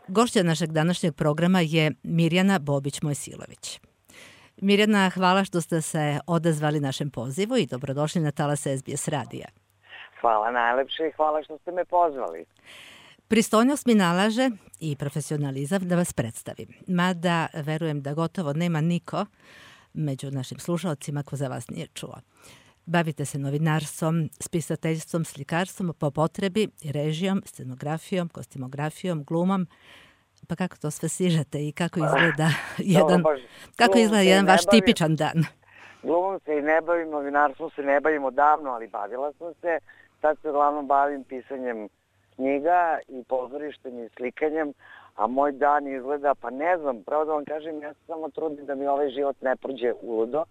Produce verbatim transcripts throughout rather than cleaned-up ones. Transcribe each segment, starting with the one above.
Gošća našeg današnjeg programa je Mirjana Bobić-Mojsilović. Mirjana, hvala što ste se odazvali našem pozivu i dobrodošli na talas S B S radija. Hvala najlepše i hvala što ste me pozvali. Pristojnost mi nalaže i profesionalizam da vas predstavim. Mada verujem da gotovo nema niko među našim slušalcima ko za vas nije čuo. Bavite se novinarstvom, spisateljstvom, slikarstvom po potrebi, režijom, scenografijom, kostimografijom, glumom. Pa kako to sve stižete i kako izgleda jedan, kako izgleda jedan vaš tipičan dan? Glumom se i ne bavim, novinarstvom se ne bavim odavno, ali bavila sam se. Sad se uglavnom bavim pisanjem knjiga i pozorištem i slikanjem, a moj dan izgleda, pa ne znam, pravo da vam kažem, ja se samo trudim da mi ovaj život ne prođe uludo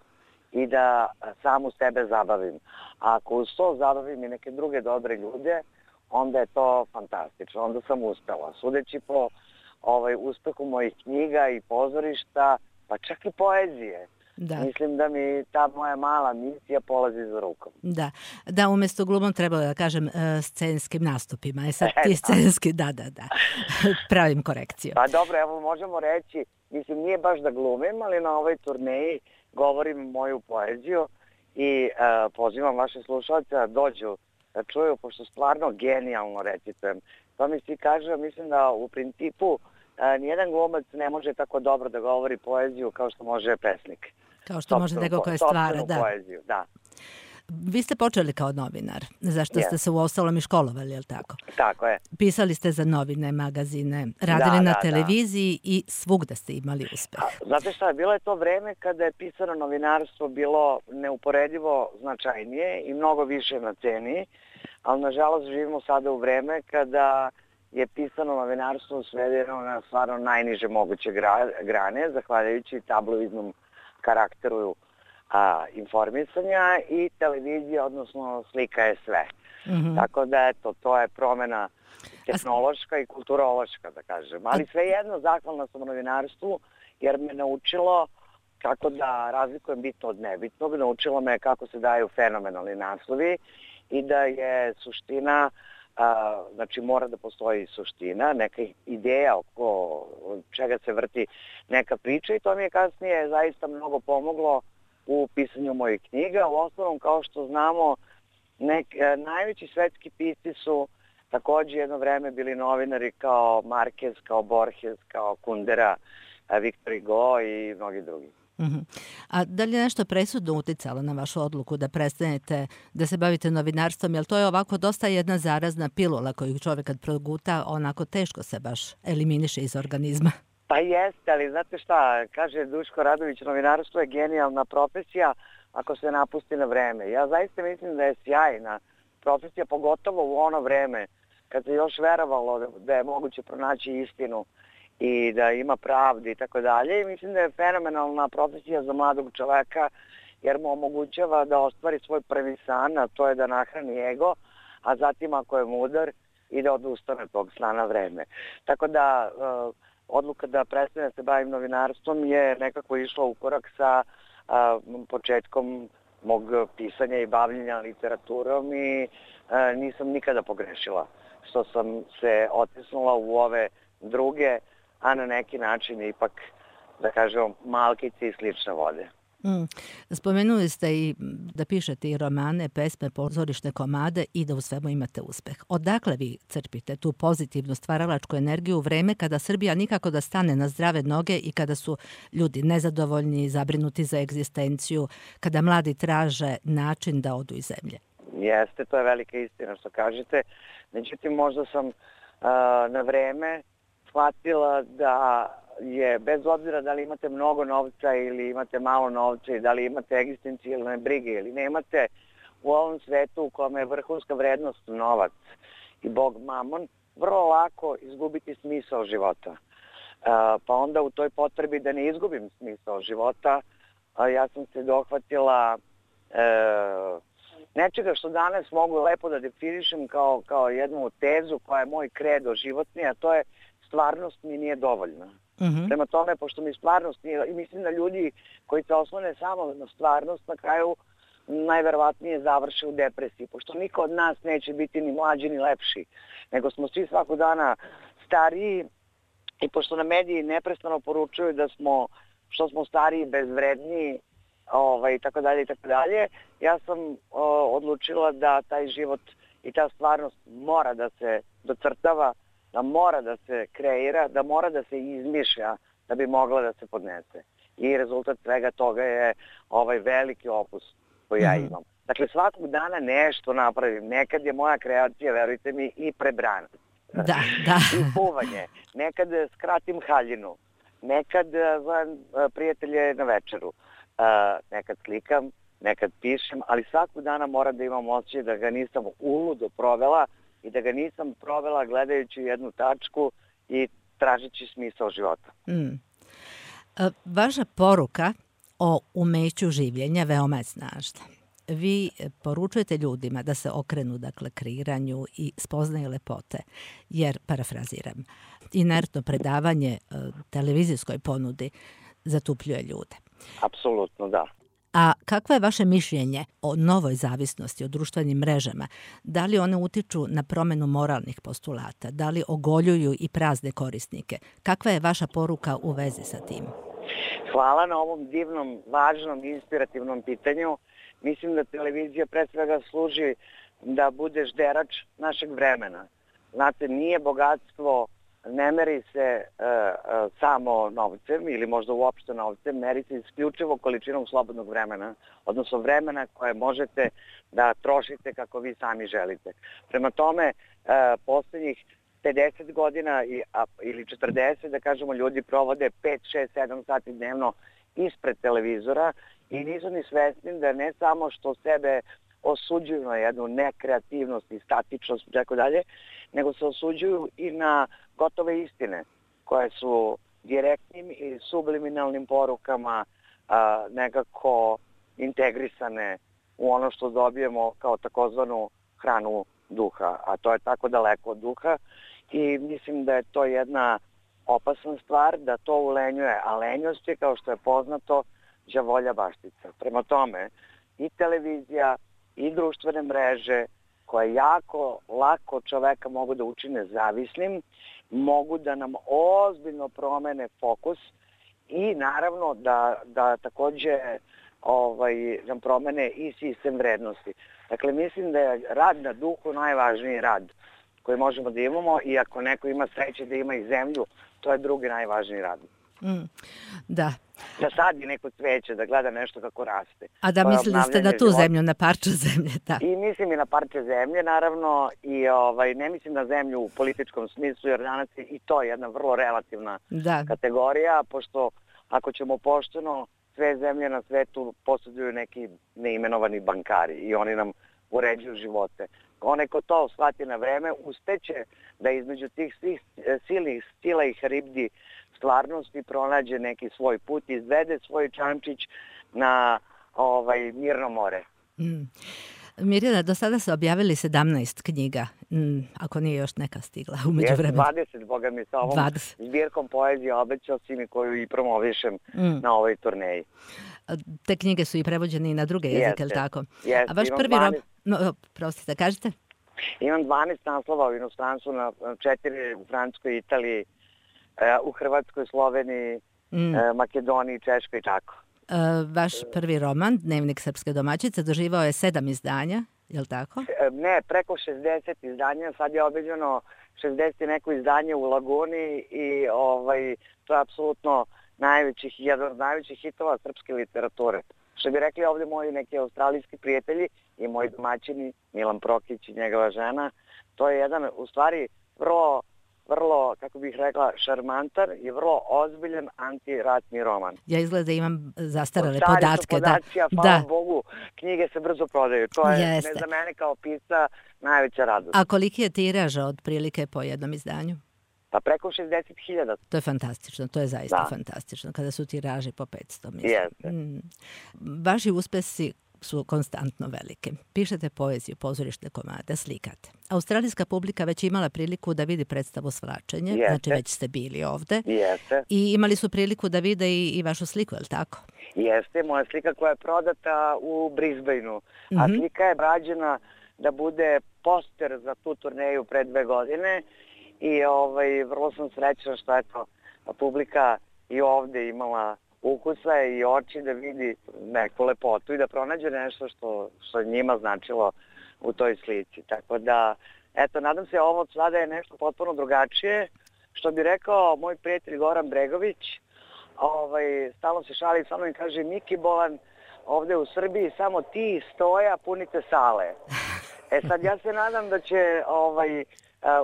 i da samu sebe zabavim. A ako uz to zabavim i neke druge dobre ljude, onda je to fantastično, onda sam uspela. Sudeći po ovaj, uspehu mojih knjiga i pozorišta, pa čak i poezije. Da. Mislim da mi ta moja mala misija polazi za rukom. Da, da umjesto glumom trebalo da kažem scenskim nastupima. E sad ti scenski, da, da, da, pravim korekciju. Pa dobro, evo možemo reći, mislim nije baš da glumim, ali na ovoj turneji govorim moju poeziju i uh, pozivam vaše slušalce da dođu da čuju, pošto stvarno genijalno recitujem. To mi svi kaže, mislim da u principu uh, nijedan glumac ne može tako dobro da govori poeziju kao što može pesnik. Kao što može neko koje stvara, da. Poeziju, da. Vi ste počeli kao novinar, zašto yes. ste se uostalom i školovali, je li tako? Tako je. Pisali ste za novine, magazine, radili da, na da, televiziji da. I svugde ste imali uspeh. A, znate šta, bilo je to vreme kada je pisano novinarstvo bilo neuporedivo značajnije i mnogo više na ceni, ali nažalost živimo sada u vreme kada je pisano novinarstvo svedeno na stvarno najniže moguće grane, zahvaljujući tabloidnom karakteru a, informisanja i televizija, odnosno slika je sve. Mm-hmm. Tako da, eto, to je promjena tehnološka i kulturološka, da kažem. Ali svejedno, zahvalna sam novinarstvu, jer me naučilo kako da razlikujem bitno od nebitnog, naučilo me kako se daju fenomenalni naslovi i da je suština, a, znači mora da postoji suština, neka ideja oko čega se vrti neka priča i to mi je kasnije zaista mnogo pomoglo u pisanju mojih knjiga. U osnovom, kao što znamo, nek, najveći svetski pisci su također jedno vreme bili novinari kao Marquez, kao Borges, kao Kundera, Victor Hugo i mnogi drugi. Uh-huh. A da li je nešto presudno uticalo na vašu odluku da prestanete da se bavite novinarstvom? Jer to je ovako dosta jedna zarazna pilula koju čovjek kad proguta onako teško se baš eliminiše iz organizma. Pa jeste, ali znate šta, kaže Duško Radović, novinarstvo je genijalna profesija ako se napusti na vreme. Ja zaista mislim da je sjajna profesija, pogotovo u ono vreme kad se još verovalo da je moguće pronaći istinu i da ima pravdu i tako dalje. I mislim da je fenomenalna profesija za mladog čoveka jer mu omogućava da ostvari svoj prvi san, a to je da nahrani ego, a zatim ako je mudar i da odustane tog sna na vreme. Tako da uh, odluka da prestane se bavim novinarstvom je nekako išla u korak sa uh, početkom mog pisanja i bavljenja literaturom i uh, nisam nikada pogrešila što sam se otisnula u ove druge, a na neki način ipak, da kažemo, malkice i slične vode. Mm. Spomenuli ste i da pišete i romane, pesme, pozorišne komade i da u svemu imate uspeh. Odakle vi crpite tu pozitivnu stvaralačku energiju u vreme kada Srbija nikako da stane na zdrave noge i kada su ljudi nezadovoljni, zabrinuti za egzistenciju, kada mladi traže način da odu iz zemlje? Jeste, to je velika istina što kažete. Međutim, možda sam uh, na vreme shvatila da je, bez obzira da li imate mnogo novca ili imate malo novca i da li imate egzistencijalne brige ili nemate, u ovom svetu u kome je vrhunska vrednost novac i Bog mamon, vrlo lako izgubiti smisao života. Uh, pa onda u toj potrebi da ne izgubim smisao života, uh, ja sam se dohvatila uh, nečega što danas mogu lepo da definišem kao, kao jednu tezu koja je moj kredo životni, a to je stvarnost mi nije dovoljna. Mm-hmm. Prema tome, pošto mi stvarnost nije, i mislim da ljudi koji se oslone samo na stvarnost na kraju najverovatnije završe u depresiji, pošto niko od nas neće biti ni mlađi ni lepši, nego smo svi svakog dana stariji I pošto na mediji neprestano poručuju da smo, što smo stariji, bezvredniji, ovaj, tako dalje i tako dalje, ja sam o, odlučila da taj život i ta stvarnost mora da se docrtava, da mora da se kreira, da mora da se izmišlja da bi mogla da se podnese. I rezultat svega toga je ovaj veliki opus koji ja imam. Dakle, svakog dana nešto napravim. Nekad je moja kreacija, verujte mi, i prebrana. Da, da. I puvanje. Nekad skratim haljinu. Nekad zovem prijatelje na večeru. Nekad slikam, nekad pišem, ali svakog dana moram da imam osjećaj da ga nisam uludo provela i da ga nisam provela gledajući jednu tačku i tražeći smisao života. Mm. Vaša poruka o umeću življenja veoma je snažna. Vi poručujete ljudima da se okrenu, dakle, kreiranju i spoznaju lepote, jer, parafraziram, inertno predavanje televizijskoj ponudi zatupljuje ljude. Apsolutno, da. A kakvo je vaše mišljenje o novoj zavisnosti, o društvenim mrežama? Da li one utiču na promenu moralnih postulata? Da li ogoljuju i prazne korisnike? Kakva je vaša poruka u vezi sa tim? Hvala na ovom divnom, važnom i inspirativnom pitanju. Mislim da televizija pre svega služi da bude žderač našeg vremena. Znate, nije bogatstvo, ne meri se uh, uh, samo novcem ili možda uopšte novcem, meri se isključivo količinom slobodnog vremena, odnosno vremena koje možete da trošite kako vi sami želite. Prema tome, uh, poslednjih pedeset godina i, a, ili četrdeset, da kažemo, ljudi provode pet, šest, sedam sati dnevno ispred televizora i nisu ni svesni da ne samo što sebe osuđuju na jednu nekreativnost i statičnost i tako dalje, nego se osuđuju i na gotove istine koje su direktnim i subliminalnim porukama a, nekako integrisane u ono što dobijemo kao takozvanu hranu duha, a to je tako daleko od duha i mislim da je to jedna opasna stvar, da to ulenjuje, a lenjost je, kao što je poznato, đavolja baštica. Prema tome, i televizija i društvene mreže koje jako lako čoveka mogu da učine zavisnim, mogu da nam ozbiljno promene fokus i naravno da, da takođe ovaj, nam promene i sistem vrednosti. Dakle, mislim da je rad na duhu najvažniji rad koji možemo da imamo i ako neko ima sreće da ima i zemlju, to je drugi najvažniji rad. Mm, da. Da sadi neko cveće, da gleda nešto kako raste. A da mislili ste na tu zemlju, na parče zemlje, da. I mislim i na parče zemlje, naravno, i ovaj, ne mislim na zemlju u političkom smislu, jer danas je i to jedna vrlo relativna da. kategorija, pošto ako ćemo pošteno, sve zemlje na svetu posjeduju neki neimenovani bankari i oni nam uređuju živote. Onaj ko to shvati na vreme, uspeće da između tih svih silnih stila i haribdi stvarnosti pronađe neki svoj put, izvede svoj čamčić na ovaj, mirno more. Mm. Mirjana, do sada se objavili sedamnaest knjiga, mm, ako nije još neka stigla umeđu vremena. dvadeset, boga mi, sa ovom dvadeset zbirkom poezije obećao si mi koju i promovišem mm. na ovoj turneji. Te knjige su i prevođene i na druge jezike, ili tako? Jeste, a vaš prvi dvanaest... roman... No, prostite, kažete? Imam dvanaest naslova u inostranstvu, na četiri u Francuskoj, Italiji, u Hrvatskoj, Sloveniji, mm. Makedoniji, Češkoj i tako. Uh, vaš prvi roman, Dnevnik srpske domaćice, doživao je sedam izdanja, je li tako? Ne, preko šezdeset izdanja, sad je objavljeno šezdeset i neko izdanje u Laguni i ovaj, to je apsolutno najvećih, jedan od najvećih hitova srpske literature. Što bi rekli ovdje moji neki australijski prijatelji i moji domaćini, Milan Prokić i njegova žena, to je jedan, u stvari, vrlo vrlo, kako bih rekla, šarmantar i vrlo ozbiljan antiratni roman. Ja izgleda imam zastarale podatke. Podaci, da. Hvala da. Bogu, knjige se brzo prodaju. To je ne za mene kao pisca najveća radost. A koliki je tiraža otprilike po jednom izdanju? Pa preko šezdeset hiljada. To je fantastično, to je zaista da. fantastično. Kada su tiraži po petsto, mislim. Jeste. Mm. Vaši uspesi su konstantno velike. Pišete poeziju, pozorišne komade, slikate. Australijska publika već imala priliku da vidi predstavu Svlačenje, Jeste. znači već ste bili ovde. Jeste. I imali su priliku da vide i, i vašu sliku, je li tako? Jeste, moja slika koja je prodata u Brisbaneu. Mm-hmm. A slika je rađena da bude poster za tu turneju pre dve godine i ovaj, vrlo sam srećna što eto, publika i ovde imala ukusa i oči da vidi neku lepotu i da pronađe nešto što, što je njima značilo u toj slici. Tako da, eto, nadam se ovo sada je nešto potpuno drugačije. Što bi rekao moj prijatelj Goran Bregović, ovaj, stalno se šali sa mnom i kaže Miki Bolan, ovde u Srbiji samo ti stoja punite sale. E sad ja se nadam da će, ovaj,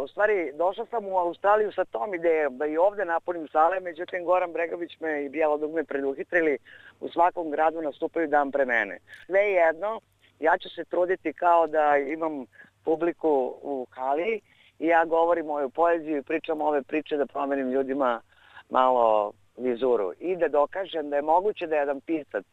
u stvari došla sam u Australiju sa tom idejom da i ovde napunim sale, međutim Goran Bregović me i Bijelo dugme preduhitrili, u svakom gradu nastupaju dan pre mene. Sve jedno, ja ću se truditi kao da imam publiku u hali i ja govorim moju poeziju i pričam ove priče da promenim ljudima malo vizuru i da dokažem da je moguće da jedan pisac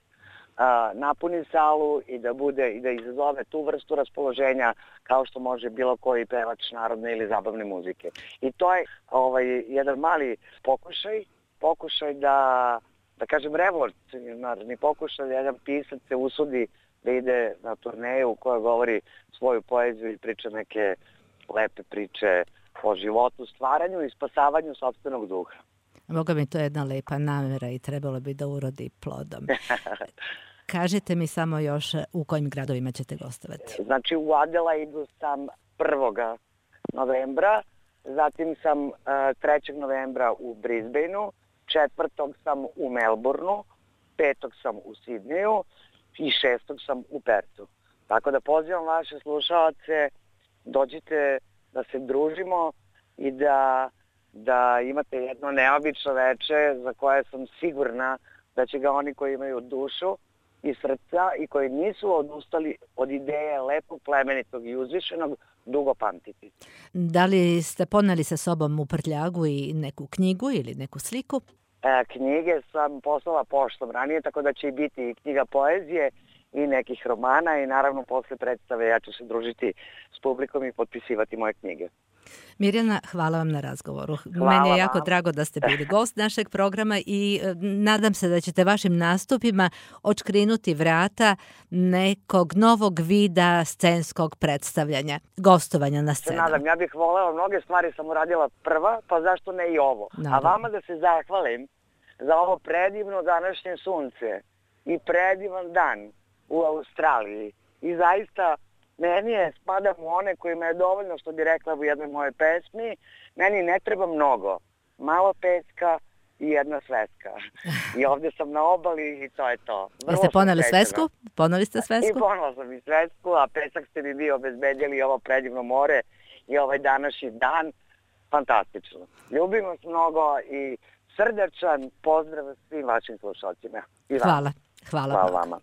a, napuni salu i da bude i da izazove tu vrstu raspoloženja kao što može bilo koji pevač narodne ili zabavne muzike. I to je ovaj, jedan mali pokušaj, pokušaj da, da kažem revolucionarni pokušaj da jedan pisac se usudi da ide na turneju koja govori svoju poeziju i priča neke lepe priče o životu, stvaranju i spasavanju sopstvenog duha. Boga mi, to je jedna lepa namera i trebalo bi da urodi plodom. Kažite mi samo još u kojim gradovima ćete gostovati. Znači u Adelaidu sam prvog novembra, zatim sam trećeg novembra u Brisbaneu, četvrtog sam u Melbourneu, petog sam u Sidneju i šestog sam u Pertu. Tako da pozivam vaše slušalce, dođite da se družimo i da, da imate jedno neobično veče za koje sam sigurna da će ga oni koji imaju dušu i srca i koji nisu odustali od ideje lepog, plemenitog i uzvišenog dugo pamtiti. Da li ste poneli sa sobom u prtljagu i neku knjigu ili neku sliku? E, knjige sam poslala poštom ranije, tako da će i biti i knjiga poezije i nekih romana i naravno posle predstave ja ću se družiti s publikom i potpisivati moje knjige. Mirjana, hvala vam na razgovoru. Hvala Meni je jako vam. drago da ste bili gost našeg programa i e, nadam se da ćete vašim nastupima odškrinuti vrata nekog novog vida scenskog predstavljanja, gostovanja na scenu. Se nadam, ja bih voleo, mnoge stvari sam uradila prva, pa zašto ne i ovo. Naravno. A vama da se zahvalim za ovo predivno današnje sunce i predivan dan u Australiji. I zaista meni je, spadam u one kojima je dovoljno, što bi rekla u jednoj moje pesmi, meni ne treba mnogo. Malo peska i jedna sveska. I ovdje sam na obali i to je to. Vrlo Jeste poneli sam srećna. svesku? Poneli ste svesku? I ponela sam i svesku, a pesak ste mi vi obezbedili ovo predivno more i ovaj današnji dan. Fantastično. Ljubim vas mnogo i srdačan pozdrav svim vašim slušalcima. I vama. Hvala. Hvala, Hvala Bog. vama.